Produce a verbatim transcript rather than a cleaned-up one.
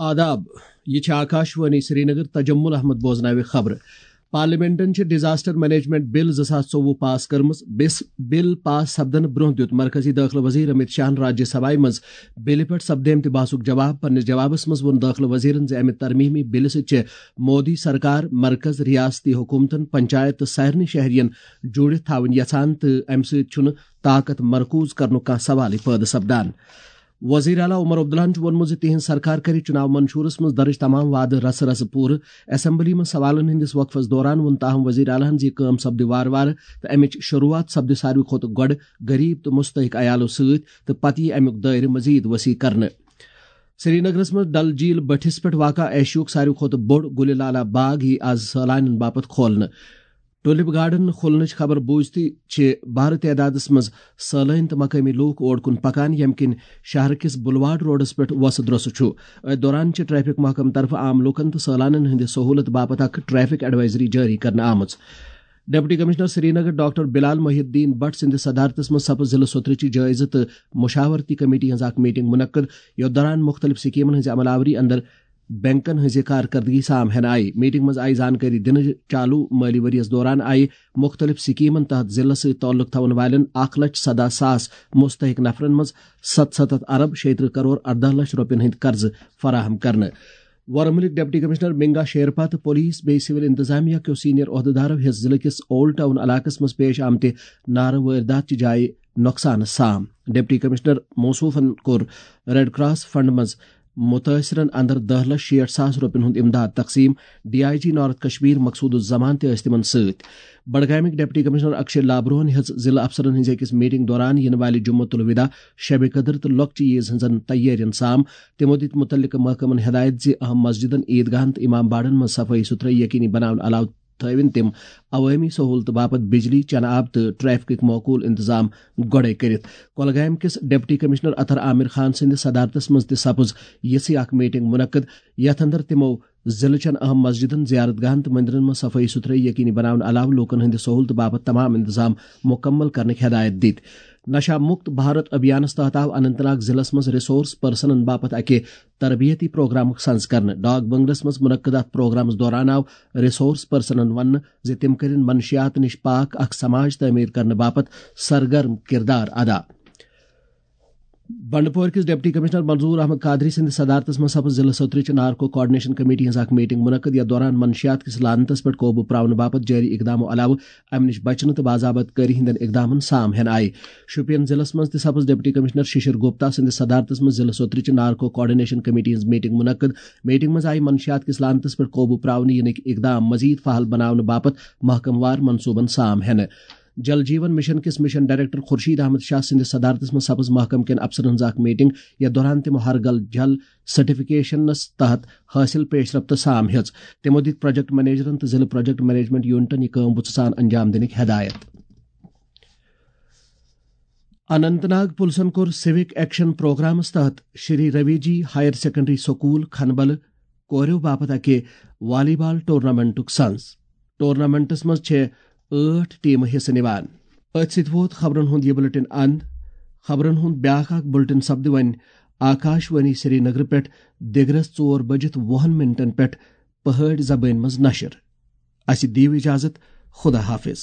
آداب، یہِ چھِ آکاشوانی سرینگر، تجمل احمد بوزناوِ خبرٕ۔ پارلیمنٹن چھِ ڈیزاسٹر مینجمنٹ بل زٕ ساس ژوٚوُہ پاس کٔرمٕژ۔ بس-، بل پاس سپدنہٕ برونٛہہ دیُت مرکزی دٲخلہٕ وزیر امیت شاہن راجیہ سبھایہ منٛز بلہِ پٮ۪ٹھ سپدیمتِ بحثُک جواب۔ پننِس جوابس منٛز ووٚن دٲخلہٕ وزیرن زِ امہِ ترمیمی بلہِ سۭتۍ چھِ مودی سرکار مرکز، ریاستی حکومتن، پنچایت تہٕ سارنٕے شہرین جوڑِتھ تھاوٕنۍ یژھان تہٕ امہِ سۭتۍ چھُنہٕ طاقت مرکوز کرنُک کانٛہہ سوالٕے پٲدٕ سپدان۔ وزیر اعلیٰ عمر عبداللہن چھُ ووٚنمُت زِ تِہنٛز سرکار کرِ چُناو منشورس منٛز درج تمام وعدٕ رسہٕ رسہٕ پوٗرٕ۔ اسمبلی منٛز سوالن ہٕنٛدِس وقفس دوران ووٚن تاہم وزیر اعلیٰ ہن زِ یہِ کٲم سپدِ وارٕ وارٕ تہٕ امِچ شروٗعات سپدِ ساروی کھۄتہٕ گۄڈٕ غریب تہٕ مستحق عیالو سۭتۍ تہٕ پتہٕ یِیہِ امیُک دٲیرٕ مزید وسیع کرنہٕ۔ سرینگرس منٛز ڈل جھیل بٔٹھِس پٮ۪ٹھ واقع ایشیاہُک ساروی کھۄتہٕ بوٚڑ گُلہِ لالہ باغ یِیہِ آز سٲلانٮ۪ن باپتھ کھولنہٕ۔ ٹولپ گارڈن کھولنٕچ خبر بوٗزتھٕے چھِ بارٕ تعدادس منٛز سٲلٲنۍ تہٕ مقٲمی لوٗکھ اور کُن پکان، ییٚمہِ کِنۍ شہر کِس بلواڑ روڈس پٮ۪ٹھ وۄسہٕ درۄسہٕ چھُ۔ أتھۍ دوران چھِ ٹریفک محکمہٕ طرفہٕ عام لوٗکن تہٕ سٲلانن ہٕنٛدِ سہوٗلت باپتھ اکھ ٹریفک ایڈوائزری جٲری کرنہٕ آمٕژ۔ ڈپٹی کمشنر سرینگر ڈاکٹر بلال محی الدین بٹ سٕنٛدِ صدارتس منٛز سپٕز ضلع سوترٕچہِ جٲیزٕ تہٕ مشاورتی کمیٹی ہٕنٛز اکھ میٹنگ منعقد، یتھ دوران مختلف سکیمن ہٕنٛزِ عمل آوری اندر بینکن ہٕنٛزِ کارکردگی سام ہینہٕ آیہِ۔ میٹنگ منٛز آیہِ زانکٲری دِنہٕ، چالو مٲلی ؤریَس دوران آیہِ مُختٔلِف سکیمن تحت ضلعس سۭتۍ تعلق تھاون والٮ۪ن اکھ لچھ سداہ ساس مستحق نفرن منٛز ستھ ستتھ ارب شیٚیہِ ترٕہ کرور ارداہ لچھ رۄپین ہٕنٛدۍ قرضہٕ فراہم کرنہٕ۔ ورمُلٕکۍ ڈپٹی کمشنر منگا شیرپا تہٕ پولیس بیٚیہِ سول انتظامیہ کیو سینئر عہدٕدارو ہیٚژ ضلعہٕ کِس اولڈ ٹاؤن علاقس منٛز پیش آمتہِ نارٕ وٲردات چہِ جایہِ نۄقصانس سام۔ ڈپٹی کمشنر موصوفن کوٚر ریڈ کراس فنڈ منٛز متٲثرن اندر دہ لچھ شیٹھ ساس رۄپین ہُنٛد امداد تقسیم۔ D I G north Kashmir Maqsood ul-Zaman تہِ ٲسۍ تِمن سۭتۍ۔ بڈگامٕکۍ ڈپٹی کمشنر اکشے لابروہن ہیٚژ ضلعہٕ افسرن ہٕنٛزِ أکِس میٹنگ دوران یِنہٕ والہِ جمعہ الوداع، شب قدر تہٕ لۄکچہِ عیز ہٕنٛزن تیٲرین سام۔ تِمو دِتۍ مُتعلقہٕ محکمن ہدایت زِ اہم مسجدن، عیدگاہن تہٕ امام باڑن منٛز صفٲیی ستھرٲیی یقینی بناونہٕ علاوٕ تھٲوِن تِم عوٲمی سہوٗلتہٕ باپتھ بجلی، چنہٕ آب تہٕ ٹریفکٕکۍ معقول انتظام گۄڈَے کٔرِتھ۔ کۄلگامہِ کِس ڈپٹی کمشنر اطہر عامر خان سٕنٛدِ صدارتس منٛز تہِ سپٕز یِژھٕے اکھ میٹنگ منعقد، یتھ اندر تِمو ضلعہٕ چٮ۪ن اہم مسجدن، زیارت گاہن تہٕ مندرن منٛز صفٲیی ستھرٲیی یقینی بناونہٕ علاوٕ لوٗکن ہٕنٛدِ سہوٗلتہٕ باپتھ تمام انتظام مُکمل کرنٕکۍ ہدایت دِتۍ۔ نشہ مکت بھارت ابھیانس تحت آو اننت ناگ ضلعس منٛز ریسورس پرسنن باپتھ اکہِ تربیتی پروگرامُک سنز کرنہٕ۔ ڈاک بنگلس منٛز منعقد اتھ پروگرامس دوران آو ریسورس پرسنن وننہٕ زِ تِم کٔرِن منشیات نِش پاک اکھ سماج تعمیٖر کرنہٕ باپتھ سرگرم کردار ادا۔ بنڈپور کِس ڈپٹی کمشنر منظور احمد قادری سٕنٛدِ صدارتس منٛز سپٕز ضلعہٕ سوترٕچ نارکو کوآرڈینیشن کمیٹی ہٕنٛز اکھ میٹنگ منعقد، یتھ دوران منشیات کِس لعنتس پٮ۪ٹھ قوبوٗ پراونہٕ باپتھ جٲری اقدامو علاوٕ امہِ نِش بچنہٕ تہٕ باضابطہ کٲری ہٕنٛدٮ۪ن اقدامن سام ہینہٕ آیہِ۔ شوپین ضلعس منٛز تہِ سپٕز ڈپٹی کمشنر ششر گپتا سٕنٛدِ صدارتس منٛز ضلعہٕ سوترٕچ نارکو کوآرڈینیشن کمیٹی ہٕنٛز میٹنگ منعقد۔ میٹنگ منٛز آیہِ منشیات کِس لعنتس پٮ۪ٹھ قوبوٗ پراونہٕ یِنٕکۍ اقدام مزید فعال بناونہٕ باپتھ محکمہٕ وار منصوبن سام ہینہٕ۔ جل جیون مشن کِس مشن ڈائریکٹر خورشید احمد شاہ سٕنٛدِس صدارتس منٛز سپٕز محکمہٕ کٮ۪ن افسرن ہٕنٛز اکھ میٹنگ، یتھ دوران تِمو ہر گل جل سرٹیفکیشنس تحت حٲصِل پیش رفت سام ہیٚژ۔ تِمو دِتۍ پروجیکٹ منیجرن تہٕ ضلعہٕ پروجیکٹ مینجمنٹ یونٹن یہِ کٲم بُتھٕ سان انجام دِنٕکۍ ہدایت۔ اننت ناگ پُلسن کوٚر سِوک ایکشن پروگرامس تحت شری روی جی ہائر سیکنڈری سکول کھنبل کوریو باپتھ اکہِ والی بال ٹورنامنٹُک سنز۔ ٹورنامنٹس منٛز چھےٚ ٲٹھ ٹیمہٕ حصہٕ نِوان۔ أتھۍ سۭتۍ ووت خبرن ہُنٛد یہِ بلیٹن اند۔ خبرن ہُنٛد بیاکھ اکھ بلیٹن سپدِ وۄنۍ آکاش وانی سری نگر پٮ۪ٹھ دِگرس ژور بجِتھ وُہن منٹن پٮ۪ٹھ پہٲڑۍ زبٲنۍ منٛز نشر۔ اسہِ دِیِو اجازت، خدا حافظ۔